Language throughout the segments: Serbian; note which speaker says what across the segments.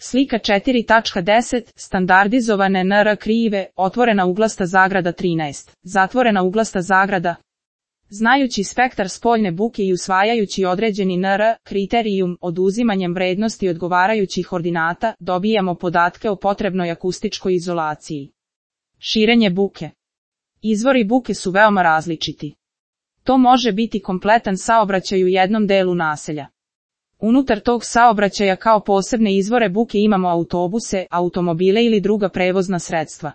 Speaker 1: Slika 4.10. Standardizovane NR krive, otvorena uglasta zagrada 13, zatvorena uglasta zagrada. Znajući spektar spoljne buke i usvajajući određeni NR kriterijum, oduzimanjem vrednosti odgovarajućih ordinata, dobijamo podatke o potrebnoj akustičkoj izolaciji. Širenje buke. Izvori buke su veoma različiti. To može biti kompletan saobraćaj u jednom delu naselja. Unutar tog saobraćaja kao posebne izvore buke imamo autobuse, automobile ili druga prevozna sredstva.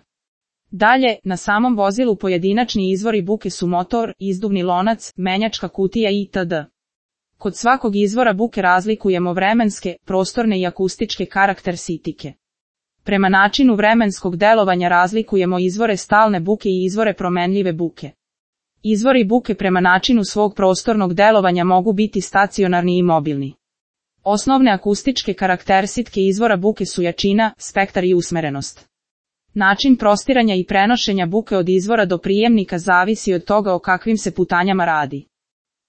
Speaker 1: Dalje, na samom vozilu pojedinačni izvori buke su motor, izduvni lonac, menjačka kutija itd. Kod svakog izvora buke razlikujemo vremenske, prostorne i akustičke karakteristike. Prema načinu vremenskog delovanja razlikujemo izvore stalne buke i izvore promenljive buke. Izvori buke prema načinu svog prostornog delovanja mogu biti stacionarni i mobilni. Osnovne akustičke karakteristike izvora buke su jačina, spektar i usmerenost. Način prostiranja i prenošenja buke od izvora do prijemnika zavisi od toga o kakvim se putanjama radi.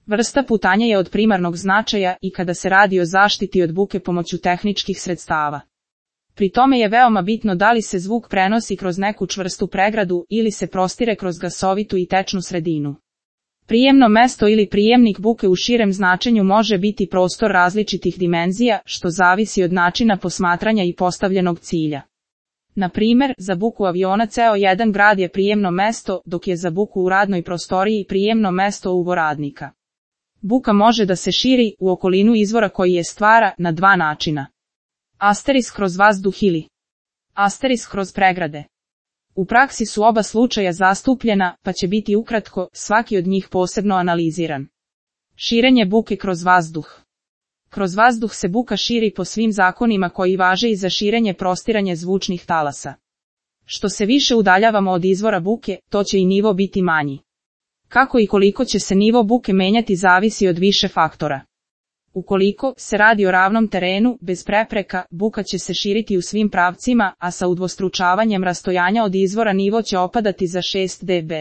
Speaker 1: Vrsta putanja je od primarnog značaja i kada se radi o zaštiti od buke pomoću tehničkih sredstava. Pri tome je veoma bitno da li se zvuk prenosi kroz neku čvrstu pregradu ili se prostire kroz gasovitu i tečnu sredinu. Prijemno mesto ili prijemnik buke u širem značenju može biti prostor različitih dimenzija, što zavisi od načina posmatranja i postavljenog cilja. Na primjer, za buku aviona ceo jedan grad je prijemno mesto, dok je za buku u radnoj prostoriji prijemno mesto uvoradnika. Buka može da se širi u okolinu izvora koji je stvara na dva načina. Asterisk kroz vazduh ili asterisk kroz pregrade. U praksi su oba slučaja zastupljena, pa će biti ukratko svaki od njih posebno analiziran. Širenje buke kroz vazduh. Kroz vazduh se buka širi po svim zakonima koji važe i za širenje prostiranje zvučnih talasa. Što se više udaljavamo od izvora buke, to će i nivo biti manji. Kako i koliko će se nivo buke menjati zavisi od više faktora. Ukoliko se radi o ravnom terenu, bez prepreka, buka će se širiti u svim pravcima, a sa udvostručavanjem rastojanja od izvora nivo će opadati za 6 dB.